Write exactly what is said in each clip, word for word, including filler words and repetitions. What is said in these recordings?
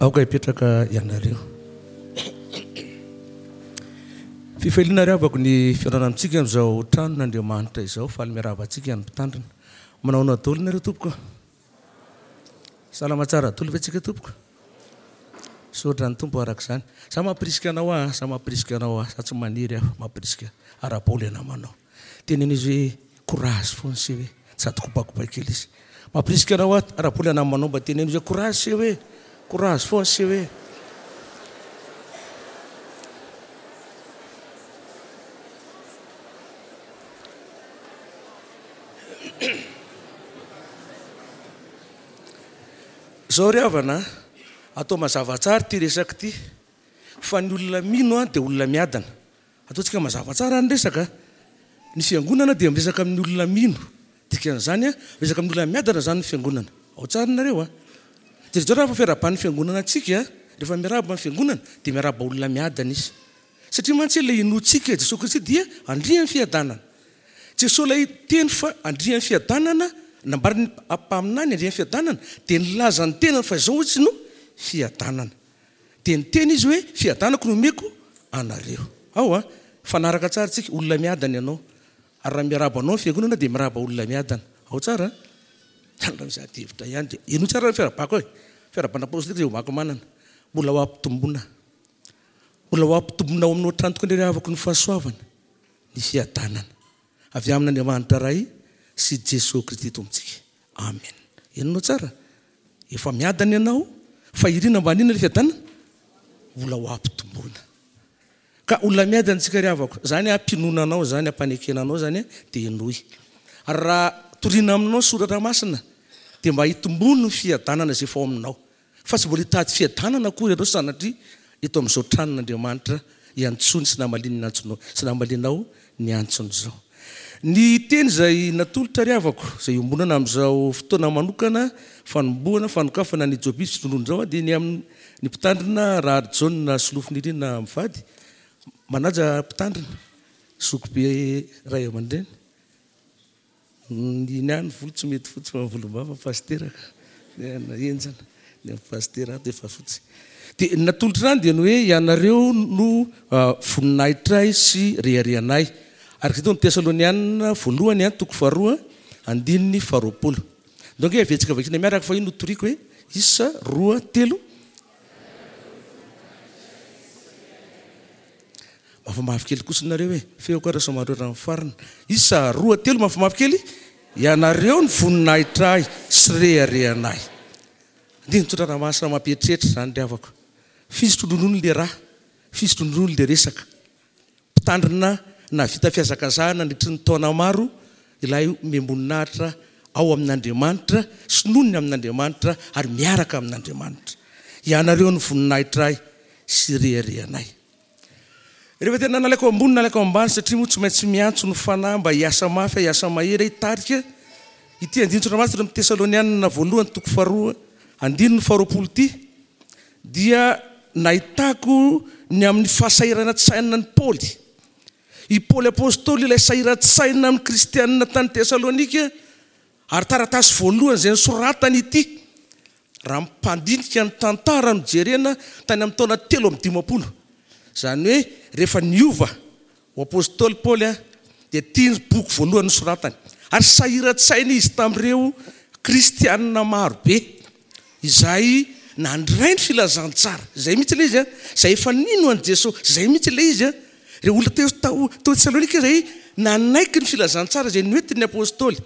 Aoka hipetraka ianareo. Fifaliana ry havako ny fihaonana amintsika amin'izao tranon'Andriamanitra izao. Faly miarahaba antsika ny mpitandrina. Manahoana daholo nareo tompoko? Salama tsara daholo ve tsika tompoko? Misaotra ny Tompo araka izany. Za mampirisika anao aho, za mampirisika anao aho, za tsy maniry aho, mampirisika. Ara-paoly ianao manao. Teneno izy hoe courage foana se hoe, sady kopakopa kely izy. Mampirisika anao aho, ara-paoly ianao manao, mba teneno izy hoe courage se hoe, courage foana se hoe. Zao ry havana, atao mazava tsara ity resaka ity, fa ny olona mino dia olona miadana. Ataontsika mazava tsara ny resaka. Ny fiangonana dia miresaka amin'ny olona mino. Dikan'izany, miresaka amin'ny olona miadana izany ny fiangonana. Ao tsara nareo a. Dia zao raha fiarahaban'ny fiangonana antsika, rehefa miarahaba ny fiangonana dia miarahaba olona miadana izy. Satria mantsy ilay inoantsika Jesoa Kristy dia andrian'ny fiadanana. Jesoa ilay teny fa andrian'ny fiadanana, nambaran'ny mpaminany andrian'ny fiadanana, dia nilaza ny tenany fa izao izy no fiadanana. Dia niteny izy hoe fiadanako no omeko anareo. Ao a, fanaraka tsara tsika, olona miadana ianao. Ary raha miarahaba anao ny fiangonana dia miarahaba olona miadana. Ao tsara. Raha misy ady hevitra ihany dia henoy tsara ny fiarahabako e. Fiarahabana apostolika izay omako manana. Mbola ho ampitomboina. Mbola ho ampitomboina ao aminao hatrany tokoa indray havako ny fahasoavana, ny fiadanana avy amin'Andriamanitra Ray sy Jesoa Kristy Tompontsika. Amen. Henonao tsara. Efa miadana ianao, fa irina mba haninona ilay fiadanana? Mbola ho ampitomboina. Ka olona miadana tsika ry havako, zany ampinoana anao, zany ampanekena anao, zany dia henoy. Ary raha torina aminao soratra masina dia mba hitombono ny fiadanana izay efa ao aminao. Fa tsy mbola hitady fiadanana akory ianao sanatria eto amin'izao tranon'Andriamanitra iantsony sy namaliany ny antsonao, sy namalianao ny antsony izao. Ny teny izay natolotra ry havako, izay iombonana amin'izao fotoana manokana fanombohana fanokafana ny jobily fitrondroana izao dia ny amin'ny mpitandrina Raharijaona Solofonirina mivady. Manaja mpitandrina, zokibe ray aman-dreny. Ny ny any volo tsy mety fotsy fa ny volombava pasitera ka enjana, ny amin'ny pasitera ato efa fotsy. Dia ny natolotra izany dia ny hoe ianareo no voninahitray sy reharehanay. Araka izay tao amin'ny Tesalonianina voalohany toko faharoa andininy faharoapolo. Donc avetsika vakina miaraka fa io no toriko hoe isa roa telo. Mafimafy kely kosa nareo e, feoko ara somary ora amin'ny farina. Isa roa telo mafimafy kely. Ianareo ny voninahitray sy reharehanay. Andininy tsotra raha mampieritreritra izany ry havako. Fisotronono le raha, fisotronono le resaka. Mpitandrina nahavita fihazakazahana nandritry ny taona maro ilay omem-boninahitra ao amin'Andriamanitra sy nonina amin'Andriamanitra ary miaraka amin'Andriamanitra. Ianareo ny voninahitray sy reharehanay. Rehefa tena nalaiko ambony nalaiko ambany satria moa tsy maintsy miantso ny fanahy mba hiasa mafy, hiasa mahery, hitarika ity andinin-tsoratra masina amin'ny Tesalonianina voalohany toko faharoa andininy faharoapolo ity dia nahitako ny amin'ny fahasahiran-tsaina ny Paoly. I Paoly apôstôly ilay sahiran-tsaina amin'ny kristianina tany Tesalonika ary taratasy voalohany izay nosoratany ity. Raha mpandinika ny tantara no jerena tany amin'ny taona telo amby dimampolo. Izany hoe rehefa niova ho apôstôly Paoly dia ity ny boky voalohany nosoratany. Ary sahiran-tsaina izy tamin'ireo kristianina maro be izay nandray ny filazantsara. Izay mihitsy ilay izy, izay efa nino an'i Jesoa, izay mihitsy ilay izy. Ireo olona teo tao tao Tesalonika izay nanaiky ny filazantsara izay noentin'ny apôstôly,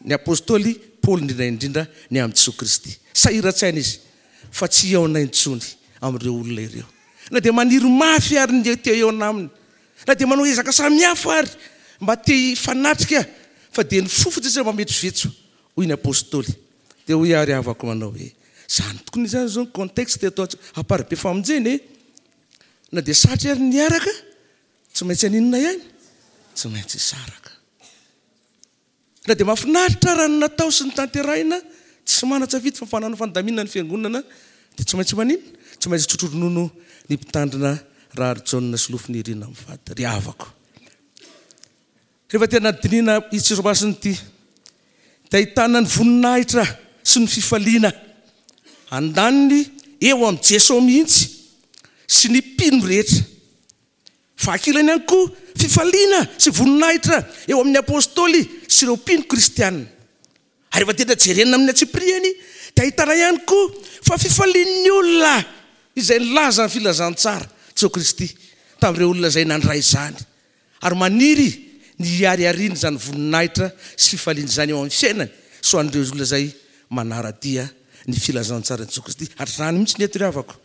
ny apôstôly Paoly indrindra indrindra ny amin'i Jesoa Kristy. Sahiran-tsaina izy fa tsy hihaona intsony amin'ireo olona ireo. Na dia maniry mafy ary ny te hihaona aminy, na dia manao ezaka samihafa ary mba te hifanatrika, fa dia ny fo fotsiny mba mivetsovetso, hoy ny apôstôly. Dia hoy ary havako manao hoe zany tokony izany zao ny contexte eto Amparibe famonjena e. Na dia satry ary niaraka, tsy maintsy haninona ihany, tsy maintsy hisaraka. Na dia mahafinaritra raha ny natao sy ny tanterahina, tsy manan-tsafidy fa fanana fandaminana ny fiangonana dia tsy maintsy maninona, tsy maintsy tsotro ronono ny mpitandrina Raharijaona Solofonirina mivady ry havako. Rehefa tena dinihina ity soratra ity dia ahitana ny voninahitra sy ny fifaliana andaniny eo amin'i Jesoa mihitsy sy ny mpino rehetra. Fa ankilany ihany koa fifaliana sy voninahitra eo amin'ny apostoly sy ireo mpino kristianina. Ary rehefa tena jerena amin'ny antsipiriany dia ahitana ihany koa fa fifalian'ny olona izay nilaza ny filazantsara Jesoa Kristy tamin'ireo olona izay nandray izany ary maniry ny hiharihariana izany voninahitra sy fifaliana izany eo amin'ny fiainany sy ho an'ireo olona izay manara-dia ny filazantsaran'i Jesoa Kristy. Ary izany mihitsy ny eto ry havako.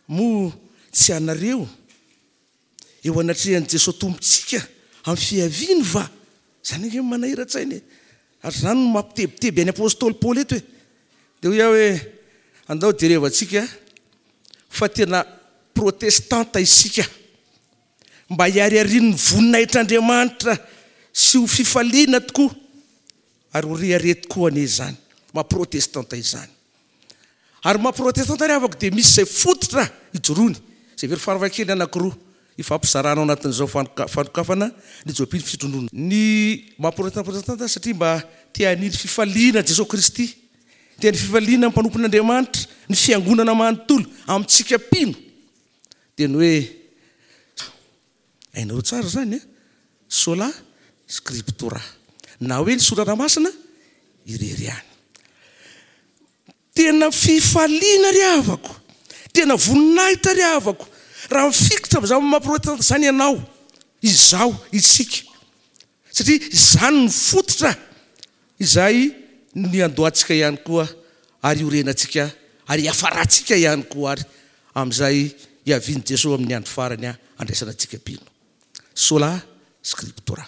Moa tsy anareo eo anatrehan'i Jesoa Tompontsika amin'ny fiaviany va? Izany ange no manahira-tsaina e. Ary izany no mampitebiteby an'i Apostoly Paoly eto e. Dia hoy aho hoe, andao jerevantsika fa tena protestanta isika, mba hihariharian'ny voninahitr'Andriamanitra sy ho fifaliana tokoa ary ho rehareha tokoa anie izany maha protestanta izany. Ary maha protestanta ry havako dia misy izay fototra ijoroany, izay very faravakely anankiroa ifampizarana ao anatin'izao fanokafana ny jobily fisotroan-dronono. Ny maha protestanta protestanta satria mba te haniry fifaliana Jesoa Kristy, te haniry fifaliana ny mpanompon'Andriamanitra, ny fiangonana manontolo amintsika mpino, dia ny hoe hainareo tsara izany a, sola scriptura, na hoe ny soratra masina irery ihany. Tena fifaliana ry havako, tena voninahitra ry havako, raha mifikitra amin'izany maha protestanta izany ianao, izaho, isika, satria izany no fototra izay niandohantsika ihany koa ary iorenantsika ary hiafarantsika ihany koa ary amin'izay hiavian'i Jesoa amin'ny andro farany handraisana antsika mpino. Sola scriptura.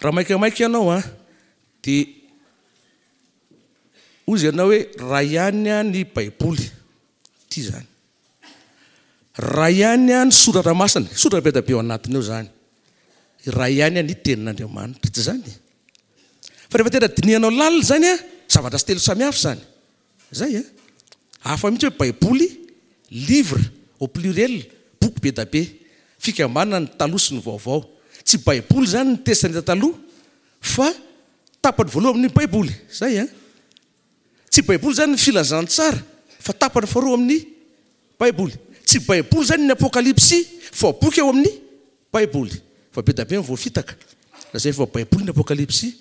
Raha maikamaika ianao an, dia hoy ianao hoe raha ihany ny Baiboly, ity izany. Raha ihany ny soratra masina, soratra be dia be ao anatiny ao izany. Raha ihany ny tenin'Andriamanitra, tsy izany? Fa rehefa tena dinihanao lalina izany an, zavatra telo samihafa izany. Izay an. Hafa mihitsy hoe Baiboly, livre au pluriel, boky be dia be, fikambanana ny taloha sy ny vaovao. Tsy Baiboly izany ny Testamenta taloha, fa tapany voalohany amin'ny Baiboly. Izay an. Tsy Baiboly izany ny filazantsara, fa tapany faharoa amin'ny Baiboly. Tsy Baiboly izany ny Apokalypsy, fa boky ao amin'ny Baiboly. Fa be dia be ny voafitaka. Lazainy fa Baiboly ny Apokalypsy.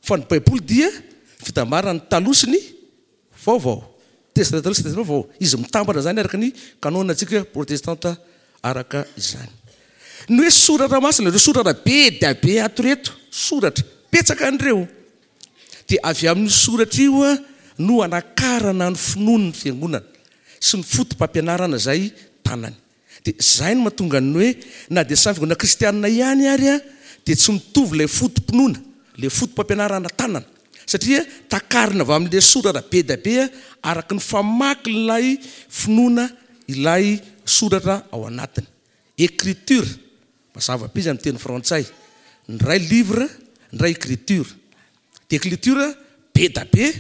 Fa ny Baiboly dia fitambaran'ny taloha sy ny vaovao. Testamenta taloha sy Testamenta vaovao. Izy mitambatra izany araka ny kanônantsika protestanta araka izany. Ny hoe soratra masina, ireo soratra be dia be ato ireto, soratra, betsaka an'ireo. Dia avy amin'io soratra io no anakarana ny finoan'ny fiangonana sy ny foto-pampianarana izay tanany. Dia izay no mahatonga ny hoe na dia samy fiangonana kristianina ihany ary dia tsy mitovy ilay foto-pinoana, ilay foto-pampianarana tanana. Satria takarina avy amin'ilay soratra be dia be araka ny famaky ilay finoana ilay soratra ao anatiny. Écriture, mazava be izy amin'ny teny frantsay. Ny iray livre, ny iray écriture. Dia écriture be dia be,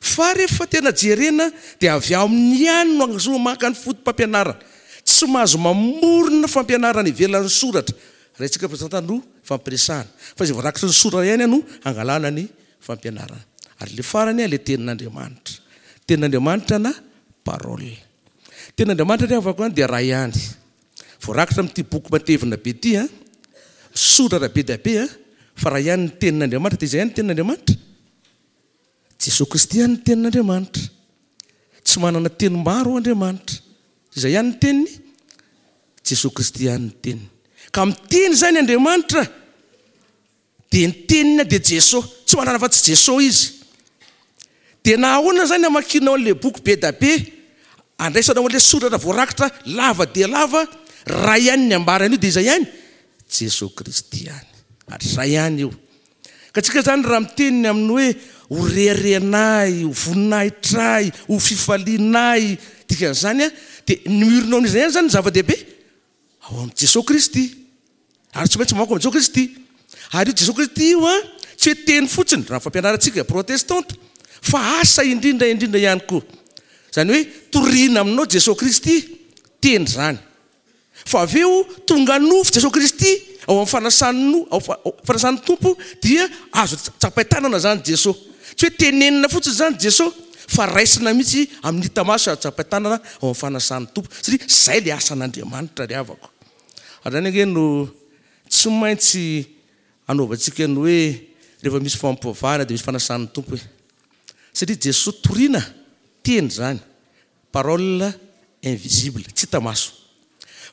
fa rehefa tena jerena dia avy aminy ihany no ahazoana maka ny foto-pampianarana. Tsy mahazo mamorona fampianarana ivelan'ny soratra. Raha isika protestanta no fampiresahana. Fa izay voarakitry ny soratra ihany no hangalana ny fampianarana. Ary ilay farany ilay tenin'Andriamanitra. Tenin'Andriamanitra na parole. Tenin'Andriamanitra ry havako dia iray ihany. Voarakitra amin'ity boky matevina be ity, misoratra be dia be, fa raha ihany ny tenin'Andriamanitra dia izay ihany ny tenin'Andriamanitra. Jesoa Kristy ihany ny tenin'Andriamanitra. Tsy manana teny maro Andriamanitra. Izay ihany ny teniny, Jesoa Kristy ihany ny teniny. Ka miteny izany Andriamanitra, dia ny teniny dia Jesoa. Tsy manana afa-tsy Jesoa izy. Dia na ahoana izany hamakianao an'ilay boky be dia be, andraisanao an'ilay soratra voarakitra lava dia lava, raha ihany ny ambarany io dia izay ihany, Jesoa Kristy ihany. Ary izay ihany io. Ka tsika izany raha miteny ny amin'ny hoe ho reharehanay, ho voninahitray, ho fifalianay, dikan'izany dia ny miorina ao amin'izay ihany izany ny zava-dehibe, ao amin'i Jesoa Kristy. Ary tsy maintsy mamaky ao amin'i Jesoa Kristy. Ary io Jesoa Kristy io an, tsy hoe teny fotsiny, raha ny fampianarantsika protestanta, fa asa indrindra indrindra ihany koa. Izany hoe torina aminao Jesoa Kristy, teny izany. Fa avy eo tonga nofo Jesoa Kristy ao amin'ny fanasan'ny ao fanasan'ny Tompo dia azo tsapain-tanana izany Jesoa. Tsy hoe tenenina fotsiny izany Jesoa, fa raisina mihitsy amin'ny hita maso azo tsapain-tanana ao amin'ny fanasan'ny Tompo, satria izay ilay asan'Andriamanitra ry havako. Ary izany ange no tsy maintsy anaovantsika ny hoe rehefa misy fampivavahana dia misy fanasan'ny Tompo e. Satria Jesoa toriana teny izany, parole invisible, tsy hita maso.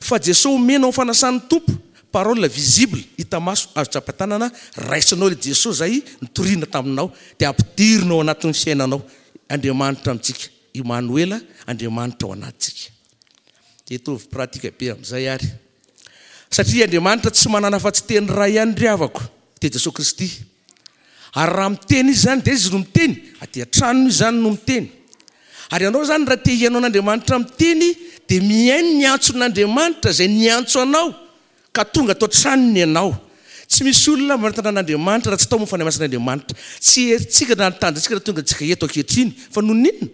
Fa Jesoa omena ao fanasan'ny Tompo, parole visible, hita maso, azo tsapain-tanana, raisinao ilay Jesoa izay nitoriana taminao, dia ampidirina ao anatin'ny fiainanao. Andriamanitra amintsika, Imanoela, Andriamanitra ao anatintsika. Dia hitovy pratique be amin'izay ary. Satria Andriamanitra tsy manana afa-tsy teny iray ihany ry havako, dia Jesoa Kristy. Ary raha miteny Izy izany, dia Izy no miteny, aty an-tranony Izy izany no miteny. Ary ianao izany raha te hihaino an'Andriamanitra miteny, dia mihaino ny antson'Andriamanitra izay niantso anao, ka tonga ato an-tranony ianao. Tsy misy olona manatona an'Andriamanitra raha tsy tao moa Fanahy Masin'Andriamanitra. Tsy herintsika na ny tanjontsika raha tonga antsika eto ankehitriny, fa noho ny inona?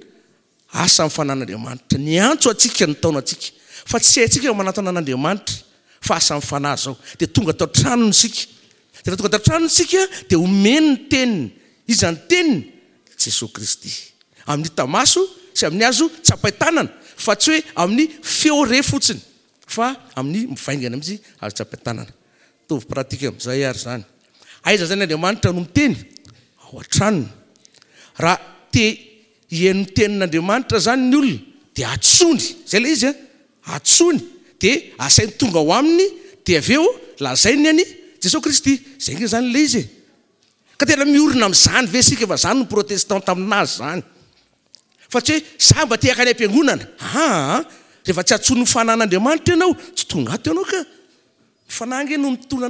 Asa amin'ny fanan'Andriamanitra. Niantso antsika nitaona antsika. Fa tsy haintsika ny manatona an'Andriamanitra, fa asa amin'ny fanahy izao. Dia tonga tao an-tranony isika. Dia rehefa tonga tao an-tranony isika, dia omeny ny teniny. Iza ny teniny? Jesoa Kristy. Amin'ny hita maso sy amin'ny azo tsapain-tanana, fa tsy hoe amin'ny feo re fotsiny, fa amin'ny mivaingana mihitsy azo tsapain-tanana. Mitovy pratique amin'izay ary izany. Aiza izany Andriamanitra no miteny? Ao an-tranony. Raha te hihaino ny tenin'Andriamanitra izany ny olona, dia antsoiny. Izay ilay izy an. Antsoiny, dia asainy tonga ao aminy, dia avy eo lazainy an'i Jesoa Kristy. Izay ange izany ilay izy e. Ka tena miorina amin'izany ve isika? Fa izany no protestanta aminazy izany. Fa tsy hoe za mba te hankany am-piangonana. Aa, rehefa tsy antsoin'ny fanan'Andriamanitra ianao, tsy tonga ato ianao ka. Ny fanahy ange no mitona,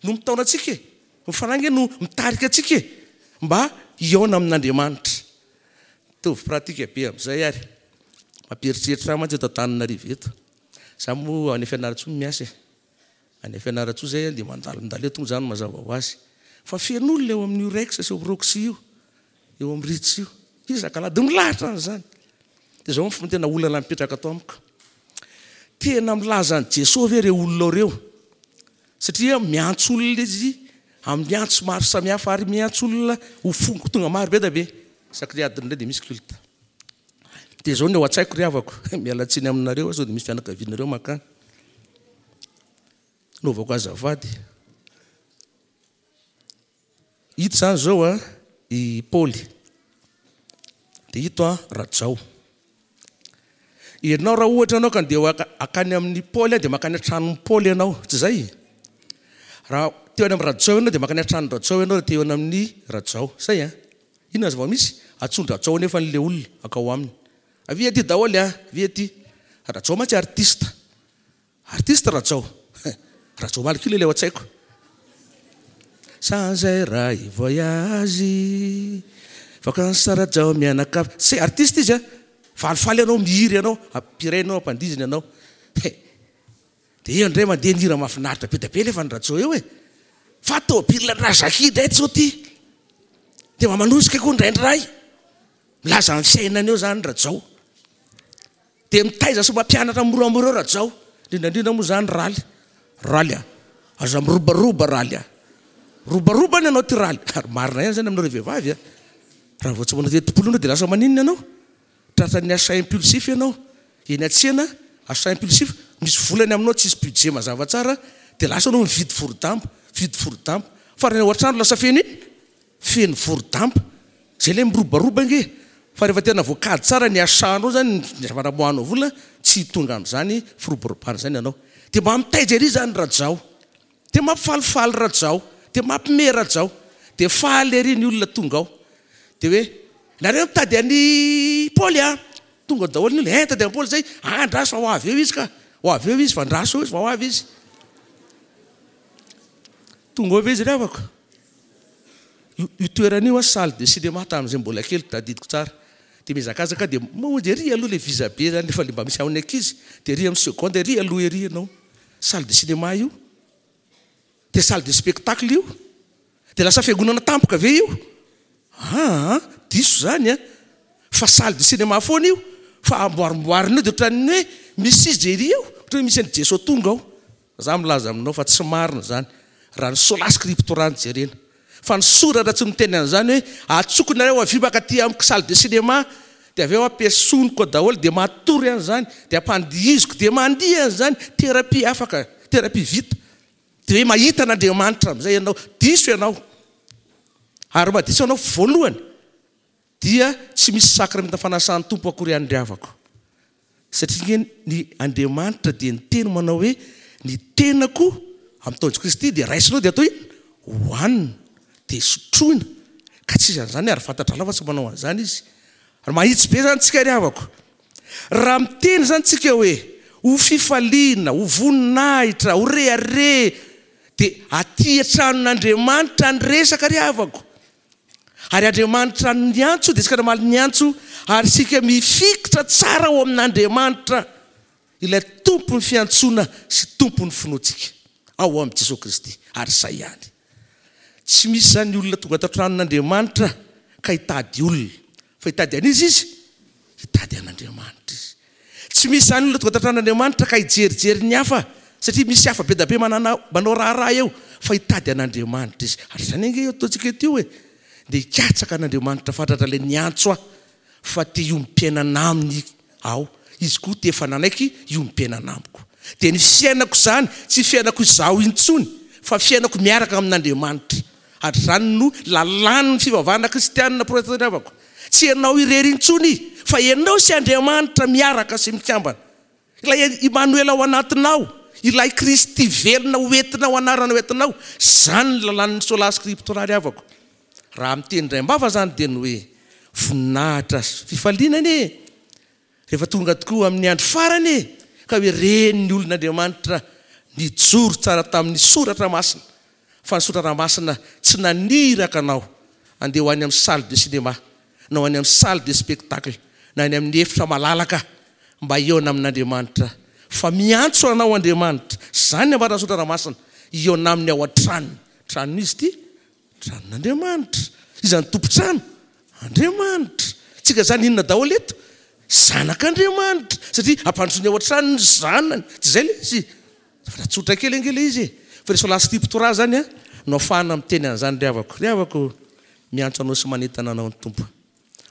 no mitaona antsika e. Ny fanahy ange no mitarika antsika e, mba hihaona amin'Andriamanitra. Mitovy pratique be amin'izay ary. Mampieritreritra ahy mantsy eto Antananarivo eto. Za moa any Fianarantsoa no miasa e. Any Fianarantsoa zay dia mandalondalo eto moa zany mazava ho azy. Fa feno olona eo amin'io Rex sy eo amin'ny Roxy io, eo amin'ny Ritz io. Iza kala dia milahatra an'izany. Dia izao no tena olana mipetraka ato amiko. Tena milaza an'i Jesoa ve ireo olona ireo? Satria miantso olona izy amin'ny antso maro samihafa ary miantso olona ho fongo tonga maro be da be. Isaky ny adiny iray dia misy culte. Dia izao ny ao an-tsaiko ry havako, miala tsiny aminareo aho sao dia misy fianakavianareo mankany. Naovako azafady. Ito izany izao a, i Paoly. Dia ito a, Rajao. Ianao raha ohatra ianao ka andeha hakany amin'i Paoly dia mankany an-tranon'i Paoly ianao, tsy izay? Raha teo any amin'ny Rajao ianao dia mankany an-tranon'i Rajao ianao raha teo any amin'ny Rajao. Zay an? Inona ny zava-misy? Antsoin-dRajao anefa an'ilay olona hankao aminy. Avia aty daholo an, avia aty. Rajao mantsy artiste. Artiste Rajao. Rajao Malkil ilay ao an-tsaiko. Sans ray voyage, vacances Rajao mianakavy. C'est artiste izy an. Falifaly ianao mihira ianao, ampiraina ianao, ampandihizina ianao. He. Dia eo indray mandeha ny hira mahafinaritra be dia be nefa ny Rajao eo e. Fa tôbila Razaki indray tsy ity. Dia mba manosika koa indraindray. Milaza ny fiainana eo izany Rajao. Dia mitaiza sy mampianatra moramora eo Rajao. Indrindra indrindra moa izany Raly. Raly a. Aza mirobaroba Raly a. Robaroba ny anao ty Raly. Ary marina ihany izany aminareo vehivavy a. Raha vao tsy manao telopolo ianao dia lasa maninona ianao? Tratran'ny achat impulsif ianao. Eny an-tsena, achat impulsif, misy vola ny aminao, tsisy budget mazava tsara, dia lasa ianao mividy vorodamba, mividy vorodamba. Farany ao an-trano lasa feno inona? Feno vorodamba. Izay ilay mirobaroba ange. Fa rehefa tena voakajy tsara ny achat-nao izany, ny zavatra amoahanao vola, tsy tonga amin'izany firoborobana izany ianao. Dia mba mitaiza ery izany Rajao. Dia mampifalifaly Rajao. Dia mampime Rajao. Dia faly ery ny olona tonga ao. Dia hoe, nareo mitady an'i Paoly a! Tonga daholo ny olona, eh mitady an'i Paoly izay, ah andraso fa ho avy eo izy ka, ho avy eo izy fa andraso eo izy fa ho avy izy. Tonga ao ve izy ry havako? Io, io toerana io an, salle de cinéma tamin'izay mbola kely, tadidiko tsara. Dia mihazakazaka dia mamonjy ery aloha ilay visa be izany efa mba misy amin'ny ankizy, dia ery amin'ny seconde ery aloha ery ianao. Salle de cinéma io. Dia salle de spectacle io. Dia lasa fiangonana tampoka ve io? Aa, diso izany an. Fa salle de cinéma foana io, fa amboarimboarina eo dia ohatran'ny hoe misy izy ery eo, ohatran'ny hoe misy an'i Jesoa tonga ao. Za milaza aminao fa tsy marina izany, raha ny sola scriptura no jerena. Fa ny soratra tsy miteny an'izany hoe atsoko nareo avy makaty amiko salle de cinéma, dia avy eo ampiasoniko daholo, dia matory an'izany, dia ampandihiziko, dia mandihy an'izany. Thérapie afaka, thérapie vita. Dia hoe mahita an'Andriamanitra amin'izay ianao. Diso ianao. Ary mahadiso ianao voalohany, dia tsy misy sakramenta fanasan'ny Tompo akory ihany ry havako. Satria ny Andriamanitra dia niteny manao hoe ny tenako amin'ny taon'i Kristy dia raisinao dia atao inona? Hohanina, dia sotroina. Ka tsy izy an'izany ary fantatra lava tsy manao an'izany izy. Ary mahitsy be zany tsika ry havako. Raha miteny zany tsika hoe ho fifaliana, ho voninahitra, ho rehareha, dia aty an-tranon'Andriamanitra ny resaka ry havako. Ary Andriamanitra niantso, dia isika namaly niantso, ary isika mifikitra tsara ao amin'Andriamanitra, ilay tompon'ny fiantsoana sy tompon'ny finoantsika ao amin'i Jesoa Kristy. Ary izay ihany. Tsy misy zany olona tonga ato an-tranon'Andriamanitra ka hitady olona. Fa hitady an'iza izy? Hitady an'Andriamanitra izy. Tsy misy zany olona tonga ato an-tranon'Andriamanitra ka hijerijery ny hafa, satria misy hafa be da be manana, manao raharaha eo, fa hitady an'Andriamanitra izy. Ary izany ange eo ataontsika eto io e. Dia hikatsaka an'Andriamanitra fatratra ilay niantso ahy, fa te hiompiainana aminy aho. Izy koa te efa nanaiky hiompiainana amiko. Dia ny fiainako izany, tsy fiainako izaho intsony, fa fiainako miaraka amin'Andriamanitra. Ary izany no lalàn'ny fivavahana kristianina protestanta havako. Tsy ianao irery intsony, fa ianao sy Andriamanitra miaraka sy mikambana. Ilay Immanuel ao anatinao, ilay Kristy velona ho entinao, anarana ho entinao. Izany ny lalàn'ny sola scriptura ry havako. Raha miteny indray am-bava zany dia ny hoe voninahitra sy fifaliana anie. Rehefa tonga tokoa amin'ny andro farany e, ka hoe reny ny olon'Andriamanitra nijoro tsara tamin'ny soratra masina. Fa ny soratra masina tsy naniraka anao andeha ho any amin'ny salle de cinéma, na ho any amin'ny salle de spectacle, na any amin'ny efitra malalaka mba hihaona amin'Andriamanitra. Fa miantso anao Andriamanitra. Izany ny ambaran'ny soratra masina. Hihaona aminy ao an-tranony. Tranon'izy ity? Tranon'Andriamanitra. Iza ny tompon-trano? Andriamanitra. Tsika zany inona daholo eto? Zanak'Andriamanitra. Satria ampandrosoiny ao an-trano ny zanany. Tsy izay ilay izy. Fa raha tsotra kely ange ilay izy e. Fa ilay sola scriptura zany a, no ahafahana miteny an'izany ry havako. Ry havako, miantso anao sy manentana anao ny Tompo.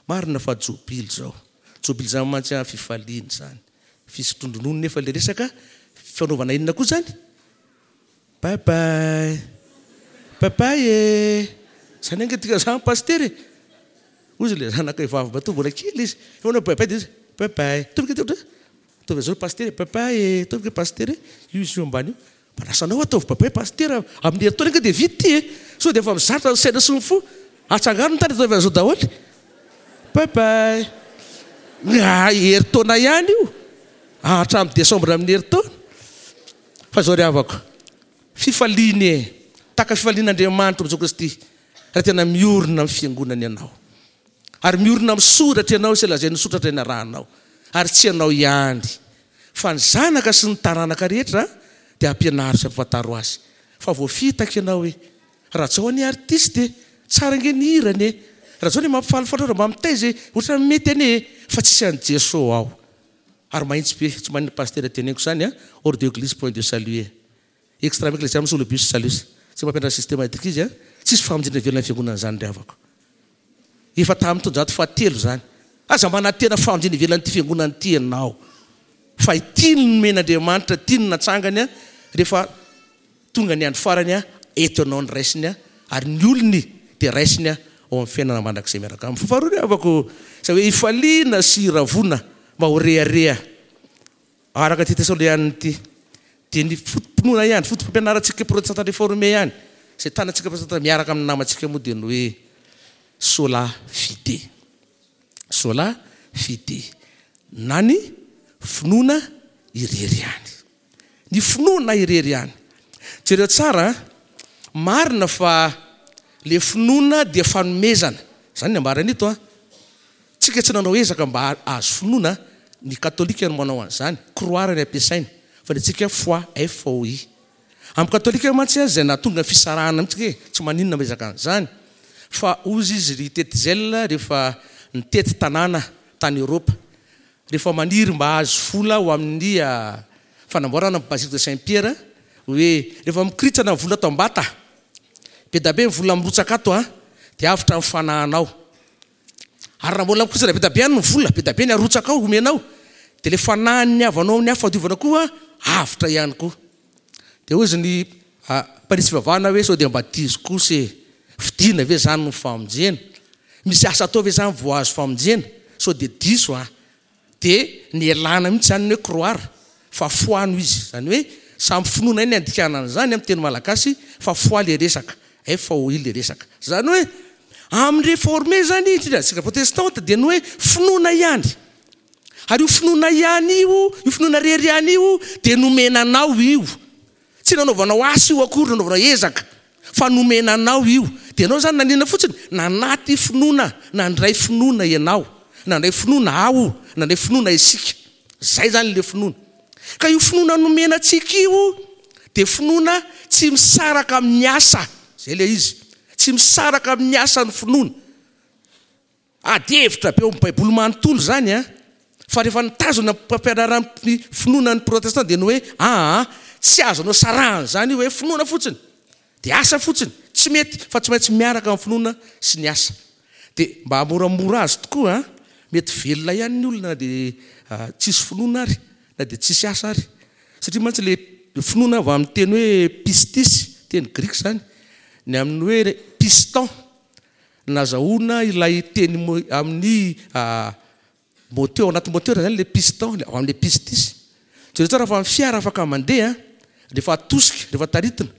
Marina fa jobily izao. Jobily izany mantsy a, fifaliana izany. Fisotroan-dronono nefa ilay resaka fanaovana inona koa zany? Bye bye. Bye bye e. Zany ange tika zany pasteur e. Hoy izy ilay zanaka vavy matoa mbola kely izy. Efa manao bye bye dia izy bye bye. Tonga dia ohatra ataovy an'izao pasteur bye bye e. Tonga pasteur io izy io ambany io. Manasa anao ataovy bye bye pasteur amin'ny herintaona ange dia vita ity e. Sao dia efa mizatra ny saina sy ny fo. Atsangano ny tany ataovy an'izao daholo. Bye bye. Ah, herintaona ihany io. Hatramin'ny décembre amin'ny herintaona. Fa izao ry havako. Fifaliana e. Tahaka fifalian'Andriamanitra Jesoa Kristy. Raha tena miorina amin'ny fiangonana ianao. Ary miorina amin'ny soratra ianao sy lazain'ny soratra ny arahanao. Ary tsy ianao ihany. Fa ny zanaka sy ny taranaka rehetra dia ampianaro sy ampifantaro azy. Fa voafitaka ianao hoe Rajao anie artiste e, tsara ange ny hirany e. Rajao anie mampifalifaly raha mba mitaiza e, ohatran'ny mety anie e, fa tsisy an'i Jesoa ao. Ary mahitsy be, tsy maninona pasteur teneniko izany a, hors de église point de salut e. Extra ecclesiam solibus salus. Tsy mampianatra systématique izy a, tsisy famonjena velona ny fiangonana izany ry havako. Efa tamin'ny taonjato fahatelo izany. Aza manantena famonjena ivelan'ity fiangonana ity ianao. Fa ity no nomen'Andriamanitra, ity no natsangany a, rehefa tonga ny andro farany a, eto ianao ny raisiny a, ary ny olony dia raisiny a, ao amin'ny fiainana mandrakizay miaraka aminy. Fa faharoa ry havako, izay hoe ifaliana sy iravona mba ho rehareha. Araka ity Tesalonianina ity, dia ny foto-pinoana ihany, foto-pampianarantsika protestanta réformé ihany, izay tanantsika protestanta miaraka amin'ny namantsika moa dia ny hoe sola fide. Sola fide. Na ny finoana irery ihany. Ny finoana irery ihany. Jereo tsara, marina fa le finoana dia fanomezana. Izany ny ambarany ito a. Tsika tsy nanao ezaka mba hahazo finoana, ny katolika no manao an'izany, croire ny ampiasaina, fa ny antsika foi, F O I. Amin'ny katolika mantsy izay nahatonga ny fisarahana mihitsy e, tsy maninona miezaka an'izany. Fa hozy izy ry Tetzel rehefa nitety tanàna tany Eoropa, rehefa maniry mba hahazo vola ho amin'ny fanamboarana ny basilique de Saint-Pierre, hoe rehefa mikoritsana ny vola ato am-bata, Be dia be ny vola mirotsaka ato an, dia avotra ny fanahinao. Ary raha mbola mirotsaka be dia be ihany ny vola, be dia be ny arotsaka ao omenao, dia ilay fanahin'ny havanao amin'ny hafa fahadiovana koa avotra ihany koa. Dia hoy izy ny mpanisy fivavahana hoe sao dia mba diso kosa e, fidina ve izany ny famonjena? Misy asa atao ve izany vao azo famonjena? Sao dia diso an. Dia nialana mihitsy izany ny hoe croire fa foi no izy. Izany hoe samy finoana ihany ny andikana an'izany amin'ny teny malagasy fa foi ilay resaka, F O I ilay resaka. Izany hoe amin'ny réformé izany, indrindra antsika protestante, dia ny hoe finoana ihany. Ary io finoana ihany io, io finoana rery ihany io dia nomena anao io. Tsy nanaovanao asa io akory, nanaovanao ezaka, fa nomena anao io. Dia ianao izany nanina fotsiny? Nanaty finoana, nandray finoana ianao, nandray finoana aho, nandray finoana isika. Izay izany ilay finoana. Ka io finoana nomena antsika io dia finoana tsy misaraka amin'ny asa. Izay ilay izy. Tsy misaraka amin'ny asa ny finoana. Ady hevitra be ao amin'ny Baiboly manontolo izany an. Fa rehefa nitazona ny fampianaran'ny finoana ny protestanta dia ny hoe aa tsy azonao sarahana izany io hoe finoana fotsiny dia asa fotsiny, tsy mety fa tsy maintsy miaraka amin'ny finoana sy ny asa. Dia mba hamoramora azy tokoa an, mety velona ihany ny olona na dia tsisy finoana ary, na dia tsisy asa ary. Satria mantsy ilay finoana avy amin'ny teny hoe pistis, teny grika izany, ny amin'ny hoe piston, nazahoana ilay teny amin'ny moteur, ao anaty moteur izany ilay piston, avy amin'ilay pistis. Jereo tsara fa ny fiara afaka mandeha rehefa atosika, rehefa taritina.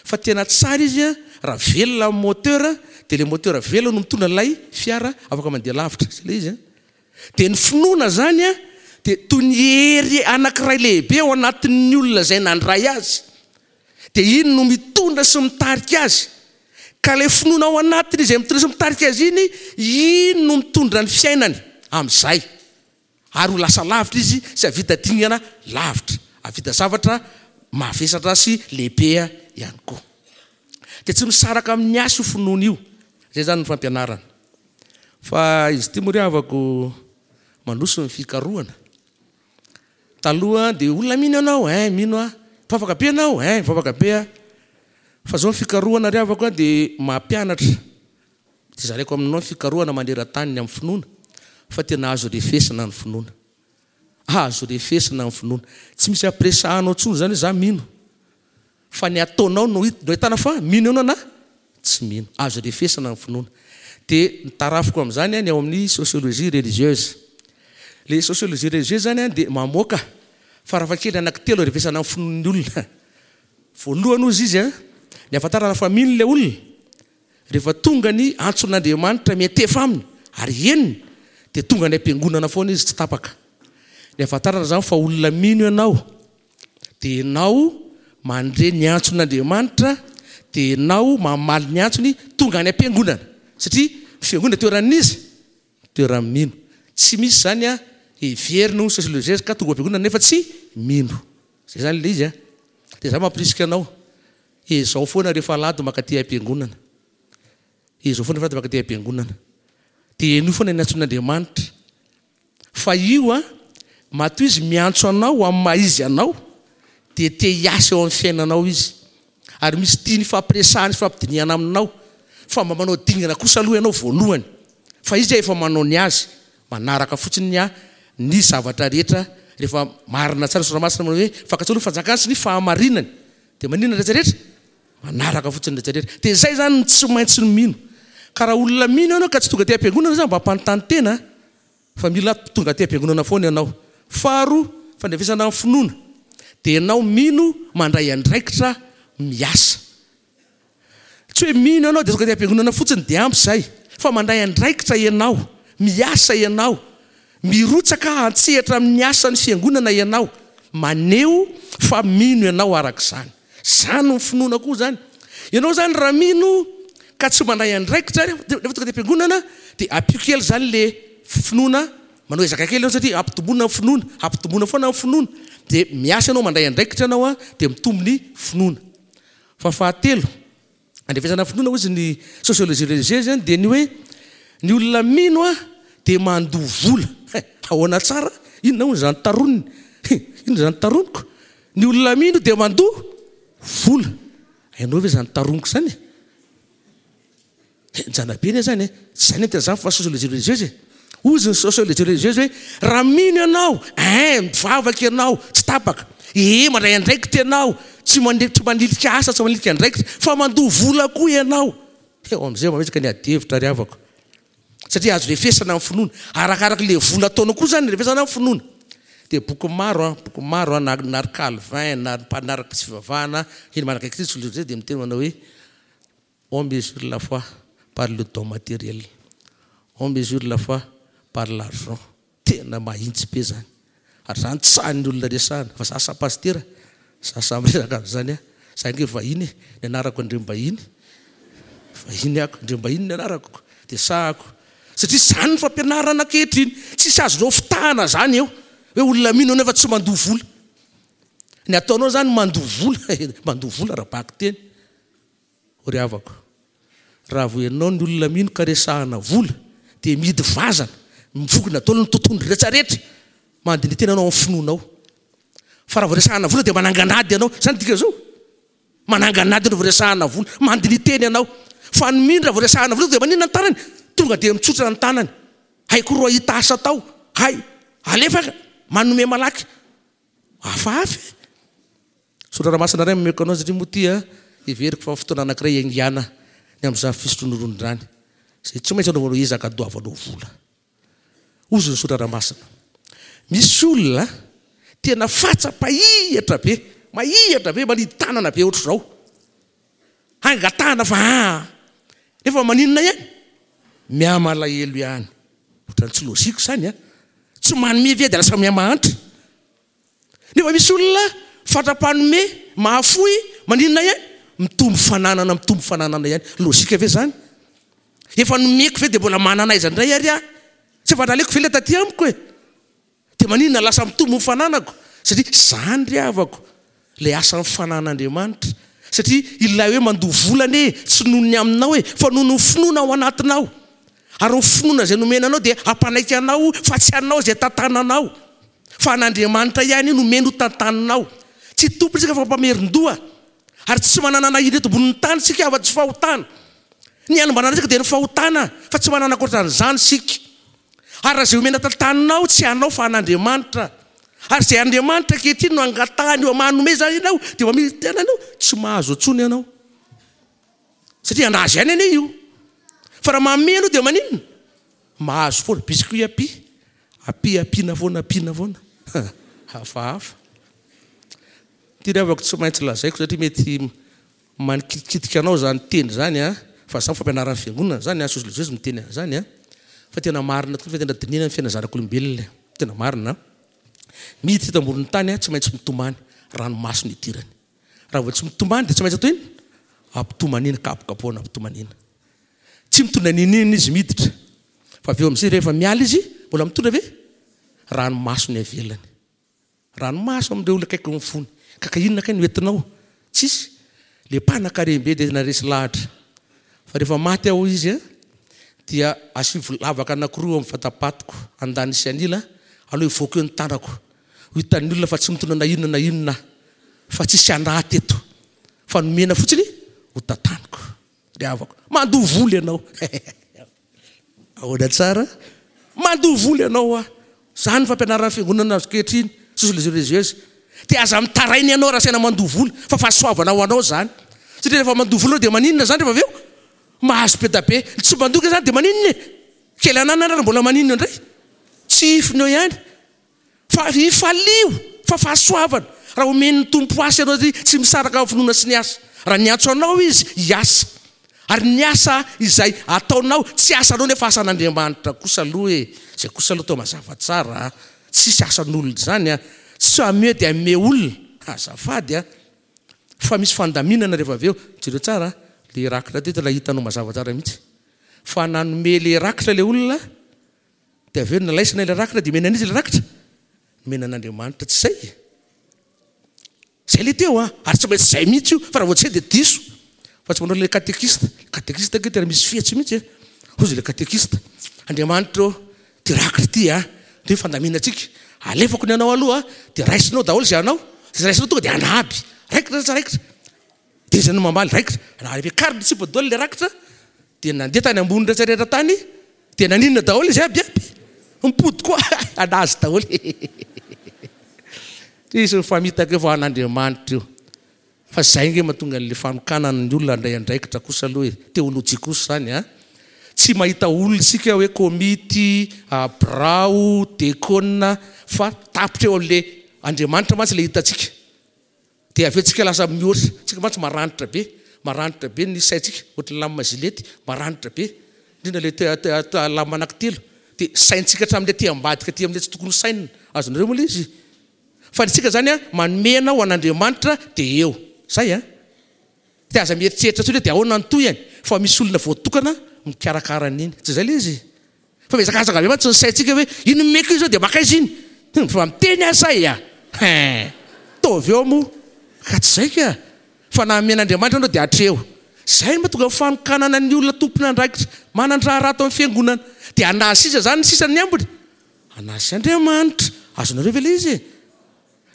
Fa tena tsara izy raha velona amin'ny moteur, dia ilay moteur velona no mitondra ilay fiara afaka mandeha lavitra. Izay ilay izy. Dia ny finoana izany dia toy ny hery anankiray lehibe ao anatin'ny olona izay nandray azy. Dia iny no mitondra sy mitarika azy. Ka ilay finoana ao anatiny izay mitondra sy mitarika azy iny, iny no mitondra ny fiainany amin'izay. Ary ho lasa lavitra izy sy hahavita dingana lavitra, hahavita zavatra mavesatra sy lehibe ihany koa. Dia tsy misaraka amin'ny asa io finoana io. Izay izany ny fampianarana. Fa izy ity moa ry havako mandroso ny fikarohana. Taloha dia olona mino ianao, hein, mino aho. Mpivavaka be ianao, hein, mpivavaka be aho. Fa izao ny fikarohana ry havako dia mampianatra. Dia zaraiko aminao ny fikarohana maneran-tany ny amin'ny finoana, fa tena azo refesina ny finoana. Azo refesina ny finoana. Tsy misy ampiresahanao intsony izany hoe za mino. Fa ny ataonao no ahitana fa mino ianao na tsy mino. Azo refesina ny finoana. Dia ny tarafiko amin'izany ny ao amin'ny sociologie religieuse. Ilay sociologie religieuse izany dia mamoaka farafakely anankitelo refesana ny finoan'ny olona. Voalohany hozy izy, ny ahafantarana fa mino ilay olona, rehefa tonga ny antson'Andriamanitra miantefa aminy ary henony, dia tonga any am-piangonana foana izy tsy tapaka. Ny ahafantarana izany fa olona mino ianao, dia ianao mandre ny antson'Andriamanitra, dia ianao mamaly ny antsony tonga any am-piangonana. Satria ny fiangonana toeran'iza? Toeran'ny mino. Tsy misy izany a heverina ho sociologie ka tonga am-piangonana nefa tsy mino. Izay izany ilay izy a. Dia za mampirisika anao, ezao foana rehefa alahady mankaty am-piangonana. Ezao foana rehefa alahady mankaty am-piangonana. Dia henoy foana ny antson'Andriamanitra. Fa io a, matoa izy miantso anao amin'ny maha izy anao, dia te hiasa eo amin'ny fiainanao izy. Ary misy tiany hifampiresahana sy hifampidinihana aminao. Fa mba manao dingana kosa aloha ianao voalohany. Fa izy efa manao ny azy, manaraka fotsiny ny ny zavatra rehetra. Rehefa marina tsara Soratra Masina manao hoe fankatsoa aloha fanjakany sy ny fahamarinany, dia maninona ny rehetra rehetra? Manaraka fotsiny ny rehetra rehetra. Dia izay izany no tsy maintsy ny mino. Ka raha olona mino ianao ka tsy tonga aty am-piangonana izany, mba hampanontany tena fa mila tonga aty am-piangonana foana ianao. Faharoa, fandrefesana ny finoana, dia ianao mino mandray andraikitra miasa. Tsy hoe mino ianao dia tonga aty am-piangonana fotsiny dia ampy izay, fa mandray andraikitra ianao, miasa ianao, mirotsaka an-tsehatra amin'ny asan'ny fiangonana ianao, maneho fa mino ianao araka izany. Izany no finoana koa izany. Ianao izany raha mino ka tsy mandray andraikitra rehefa tonga aty am-piangonana dia ampio kely izany le finoana, manao ezaka kely ianao satria ampitomboina ny finoana, ampitomboina foana ny finoana, dia miasa ianao, mandray andraikitra ianao dia mitombo ny finoana. Fa fahatelo, andrefesana finoana hozy ny sociologie religieuse zany dia ny hoe ny olona mino a dia mandoa vola. Ahoana tsara? Inona hono izany taroniny? Inona izany taroniko? Ny olona mino dia mandoa vola. Hainao ve izany taroniko izany? Henjana be anie zany e. Tsy zany miteny zany fa sociologie religieuse e. Hozy ny sociologie religieuse hoe raha mino ianao, ein, mivavaka ianao, tsy tapaka. E, mandray andraikitra ianao, tsy mande tsy manilika asa, tsy manilika andraikitra, fa mandoa vola koa ianao. Eo amin'izay mametraka ny ady hevitra ry havako. Satria azo refesana amin'ny finoana. Arakaraka le vola ataonao koa zany refesana amin'ny finoana. Dia boky maro an, boky maro an, na na ry Calvin, na ry mpanaraka tsy fivavahana, eny manakaiky ty sociologie dia miteny manao hoe on mesure la foi par le don matériel. On mesure la foi par l'argent. Tena mahintsy be zany. Ary zany tsy sahin'ny olona resahana. Fa za sa pastera, za samy miresaka an'izany aho. Za ange vahiny e, ny anarako Andriambahiny. Vahiny ako, Andriambahiny ny anarako. Dia sahako. Satria zany ny fampianarana ankehitriny. Tsisy azonao fitahana zany eo. Hoe olona mino nefa tsy mandoa vola. Ny ataonao zany mandoa vola, mandoa vola raha teny. Ry havako, raha vao ianao ny olona mino ka resahana vola, dia mihidy vazana, mivokona daholo ny tontolo rehetrarehetra, mandinika tena anao amin'ny finoanao. Fa raha vao resahana vola dia mananganady ianao. Zany dika zao. Mananganady ianao vao resahana vola, mandinika tena ianao. Fa ny mino raha vao resahana vola dia maninona ny tanany? Tonga dia mitsotra ny tanany. Haiko roa hita asa tao. Hay, alefa manome malaky. Hafahafa e. Soratra masina iray mameko anao satria moa ty a heveriko fa fotoana anankiray iangana ny amin'izany fisotroana ronono izay tsy maintsy anaovanao ezaka andoavanao vola. Hozy ny soratra masina. Misy olona tena fatsa-pahihatra be, mahihatra be, manidy tanana be ohatr'izao. Hangatahana fa ah, nefa maninona ihany? Mihamalahelo ihany. Ohatran'ny tsy logique zany a. Tsy manome ve dia lasa mihamahantra. Nefa misy olona fatra-panome, mahafoy, maninona ihany? Mitombo fananana, mitombo fananana ihany. Logique ve zany? Efa nomeko ve dia mbola manana aiza indray ary aho? Tsy efa naleko ve ilay taty amiko e? Dia maninona lasa mitombo ny fananako? Satria zany ry havako, ilay asan'ny fananan'Andriamanitra. Satria ilay hoe mandoa vola anie tsy noho ny aminao e, fa noho ny finoana ao anatinao. Ary ny finoana izay nomena anao dia hampanaiky anao fa tsy anao izay tantananao. Fa an'Andriamanitra ihany io nomeny ho tantaninao. Tsy tompony isika fa mpamerin-doha. Ary tsy manana na ireto ambonin'ny tany isika afa-tsy fahotana. Ny ihany mba ananantsika dia ny fahotana, fa tsy manana ankoatran'izany isika. Ary raha izay omena tantaninao tsy anao fa an'Andriamanitra. Ary izay Andriamanitra ankehitriny no angatahany eo manome zany ianao, dia mamily tena ianao, tsy mahazo intsony ianao. Satria anazy ihany anie io. Fa raha manome ianao dia maninona? Mahazo foana, biscuit api. Api ampiana foana, ampiana foana. Hafahafa. Ty ry havako tsy maintsy lazaiko satria mety manikitikitika anao zany teny zany a, fa zany fampianaran'ny fiangonana zany a, sociologie miteny an'izany a. Fa tena marina tokoa fa tena dinihana ny fiainana zanak'olombelona. Tena marina. Miditra eto ambonin'ny tany a, tsy maintsy mitomany, ranomaso ny idirany. Raha vao tsy mitomany dia tsy maintsy atao inona? Ampitomaniana, kapokapohana ampitomaniana. Tsy mitondra n'inon'inona izy miditra. Fa avy eo amin'izay rehefa miala izy, mbola mitondra ve? Ranomaso ny avelany. Ranomaso amin'ireo olona akaiky ny fony. Kaka inona kay no entinao? Tsisy. Le mpanan-karem-be dia naresy lahatra. Fa rehefa maty aho izy a, dia asivo lavaka anankiroa amin'ny vatapatiko, andaniny sy anila, aloha hivoaka eo ny tanako. Ho hitan'ny olona fa tsy mitondra na inona na inona, fa tsisy anaty eto. Fa nomena fotsiny ho tantaniko. Ry havako, mandoa vola ianao. Ahoana tsara? Mandoa vola ianao a. Zany ny fampianaran'ny fiangonana azo ankehitriny, sociologie religieuse. Dia aza mitaraina ianao raha saina mandoa vola, fa fahasoavana ho anao zany. Satria rehefa mandoa vola dia maninona zany rehefa avy eo? Mahazo be da be. Tsy mandoa zany dia maninona e? Kely ananana ary mbola maninona indray? Tsy hifiny eo ihany. Fa ifalio fa fahasoavana. Raha omen'ny Tompo asa ianao satria tsy misaraka amin'ny finoana sy ny asa. Raha niantso anao izy, hiasa. Ary ny asa izay ataonao, tsy asanao nefa asan'Andriamanitra kosa aloha e. Izay kosa aloha atao mazava tsara. Tsisy asan'olona izany a. Tsy ame dia ame olona. Azafady a. Fa misy fandaminana rehefa avy eo. Jereo tsara, le rakitra teto ilay hitanao mazava tsara mihitsy. Fa nanome le rakitra le olona, dia avy eo nalaisina ilay rakitra, dia omena an'iza ilay rakitra? Nomena an'Andriamanitra, tsy zay. Zay le teo a, ary tsy maintsy zay mihitsy io, fa raha vao tsy zay dia diso. Fa tsy manao le katekista. Katekista ange tena misy fihetsy mihitsy e. Hozy le katekista. Andriamanitra ô, ty rakitra ty a, ty fandaminantsika. Alefako ny anao aloha, dia raisinao daholo izay anao. Izay raisinao tonga dia anaby. Raikitra sa tsy raikitra? Dia izy no mamaly, raikitra. Raha ampiakariny tsy daholo le rakitra, Dia nandeha tany ambony rehetra rehetra tany, dia naninona daholo izy aby aby. Mipody koa anazy daholo. Izy mifamitaka eo fa an'Andriamanitra io. Fa zay nge mahatonga an'le fanokanana ny olona handray andraikitra kosa aloha e. Teolojia kosa zany a. Tsy mahita olona isika hoe komity, birao, dekona, fa tapitra eo amin'le Andriamanitra mantsy le hitantsika. Dia avy eo tsika lasa mihoatra. Tsika mantsy maranitra be, maranitra be ny saintsika, ohatry ny lame gilety, maranitra be. Indrindra le te-, te-, te-, lame anankitelo. Dia saintsika hatramin'le aty ambadika aty amin'le tsy tokony ho sainina. Azonareo moa le izy? Fa ny tsika zany a, manome anao ho an'Andriamanitra dia eo. Zay a. Dia aza mieritreritra intsony hoe dia ahoana ny tohiny, fa misy olona voatokana mikarakara an'iny. Tsy zay le izy. Fa mihazakazaka be mantsy ny saintsika hoe iny meko io zao dia makaiza iny. Fa miteny aho say a. Hein. Taovy eo moa. Ka tsy zay ka. Fa na amen'Andriamanitra anao dia hatreo. Zay no mahatonga fanokanana ny olona tompon'andraikitra manan-draharaha ato amin'ny fiangonana. Dia anazy sisa zany ny sisa ny ambiny. Anazy Andriamanitra. Azonareo ve le izy?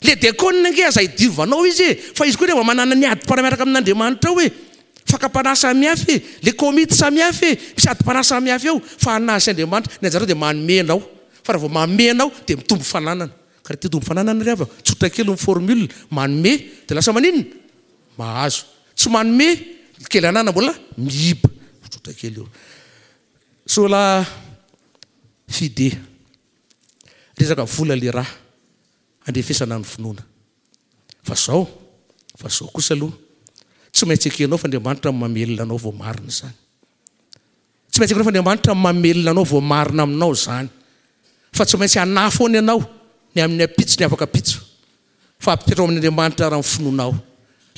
Le diakona nge aza idiovanao izy e. Fa izy koa rehefa manana ny adim-panahy miaraka amin'Andriamanitra ao e. Fakam-panahy samihafa e. Le komity samihafa e. Misy adim-panahy samihafa eo. Fa anazy Andriamanitra. Ny anjarao dia manome anao. Fa raha vao manome anao dia mitombo fananana. Ka raha te-hitombo fananana ry havana, tsotra kely ny formule. Manome dia lasa maninona? Mahazo. Tsy manome, kely anana mbola mihiba. Tsotra kely io. Sola fide. Resaka vola le raha. Andrefesana ny finoana. Fa zao, fa zao kosa aloha, tsy maintsy ekenao fa Andriamanitra mamelona anao vao marina izany. Tsy maintsy ekenao fa Andriamanitra mamelona anao vao marina aminao izany. Fa tsy maintsy hanahy foana ianao ny amin'ny ampitso ny afaka ampitso. Fa ampitoetra ao amin'Andriamanitra raha ny finoanao.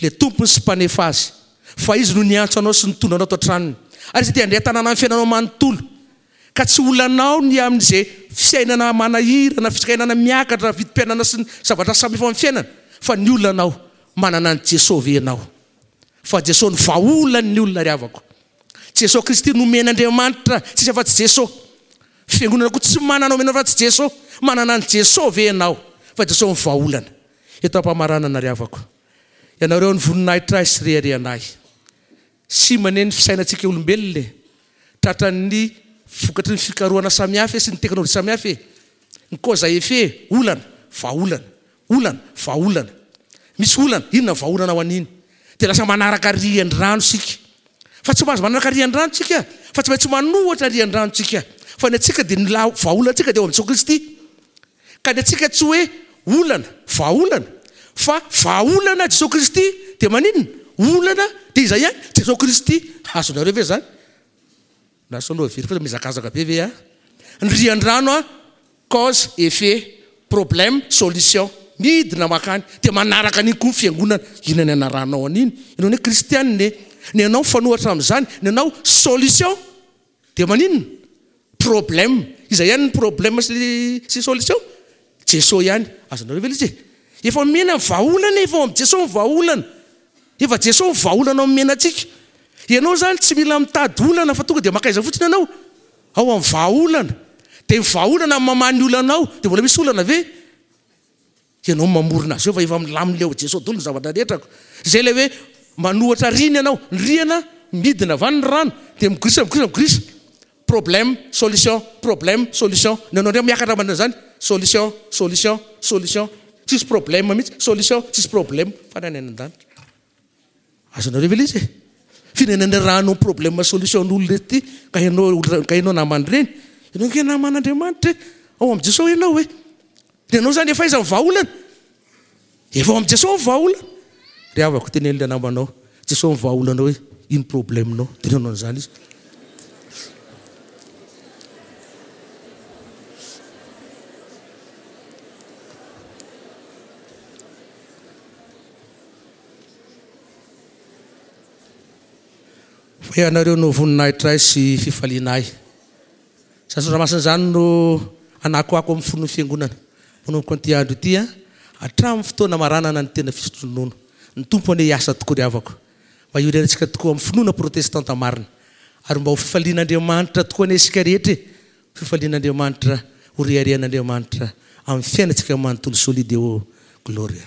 Le tompony sy mpanefa azy. Fa izy no niantso anao sy nitondra anao tao an-tranony. Ary izy dia handray tanàna amin'ny fiainanao manontolo. Ka tsy olanao ny amin'izay fiainana manahirana, fiainana miakatra, vidim-piainana sy ny zavatra samihafa amin'ny fiainana. Fa ny olanao, manana an'i Jesoa ve ianao? Fa Jesoa no vahaolan'ny olona ry havako. Jesoa Kristy nomen'Andriamanitra, tsisy afa-tsy Jesoa. Fiangonana koa tsy manana omena afa-tsy Jesoa. Manana an'i Jesoa ve ianao? Fa Jesoa no vahaolana. Eto am-pamaranana ry havako. Ianareo ny voninahitra ahy sy reharehanay. Sy maneno ny fisainantsika olombelona e. Tratran'ny vokatry ny fikarohana samihafa sy ny teknôlôjia samihafa e. Ny cause à effet, olana, vahaolana, olana, vahaolana. Misy olana, inona vahaolana ho an'iny? Dia lasa manaraka rian-drano isika. Fa tsy mahazo manaraka rian-drano isika, fa tsy maintsy manohatra rian-drano isika. Fa ny antsika dia ny la-, vahaolantsika dia ao amin'i Jesoa Kristy. Ka ny antsika tsy hoe olana, vahaolana, fa vahaolana Jesoa Kristy dia maninona? Olana dia izay ihany, Jesoa Kristy. Azonareo ve zany? Lasa aloha very fa mihazakazaka be ve a? Ny rian-drano a, cause, effet, problème, solution. Midina makany dia manaraka an'iny koa ny fiangonana. Inona ny anaranao an'iny? Ianao ny kristianina e. Ny anao mifanohitra amin'izany, ny anao solution dia maninona? Problème. Izay ihany ny problème sy, sy solution. Jesoa ihany. Azonareo ve ilay izy e? Efa omena ny vahaolana, efa ao amin'i Jesoa ny vahaolana. Efa Jesoa ny vahaolana omena antsika. Ianao zany tsy mila mitady olana fa tonga dia makaiza fotsiny ianao. Ao amin'ny vahaolana. Dia ny vahaolana mamaha ny olanao. Dia mbola misy olana ve? Ianao mamorona azy eo fa efa milamina eo Jesoa daholo ny zavatra rehetrako. Izay ilay hoe manohatra rihana ianao. Ny rihana midina avy any ny rano. Dia migorisa, migorisa, migorisa. Problème, solution, problème, solution. Ny anao indray miakatra manao izany. Solution, solution, solution. Tsisy problème mihitsy. Solution, tsisy problème. Fa ny any an-danitra. Azonareo ve ilay izy e? Firenena rano problème solution n'olona ety ka ianao olona, ka ianao namany ireny. Ianao nge naman'Andriamanitra e. Ao amin'i Jesoa ianao e. Dia ianao zany efa aiza ny vahaolana? Efa ao amin'i Jesoa ny vahaolana. Ry havako, teneno ilay namanao, Jesoa ny vahaolana hoe ino problème-nao? Teneno an'izany izy. Fa ianareo no voninahitra ahy sy fifaliana ahy. Izany soratra masina izany no anakoako amin'ny fon'ny fiangonana. Manomboka an'ity andro ity, hatramin'ny fotoana maranana ny tena fisotronono. Ny Tompo anie hiasa tokoa ry havako. Mba hiorenantsika tokoa amin'ny finoana protestanta marina. Ary mba ho fifalian'Andriamanitra tokoa anie isika rehetra e. Fifalian'Andriamanitra, ho reharehan'Andriamanitra amin'ny fiainantsika manontolo. Soli Deo Gloria.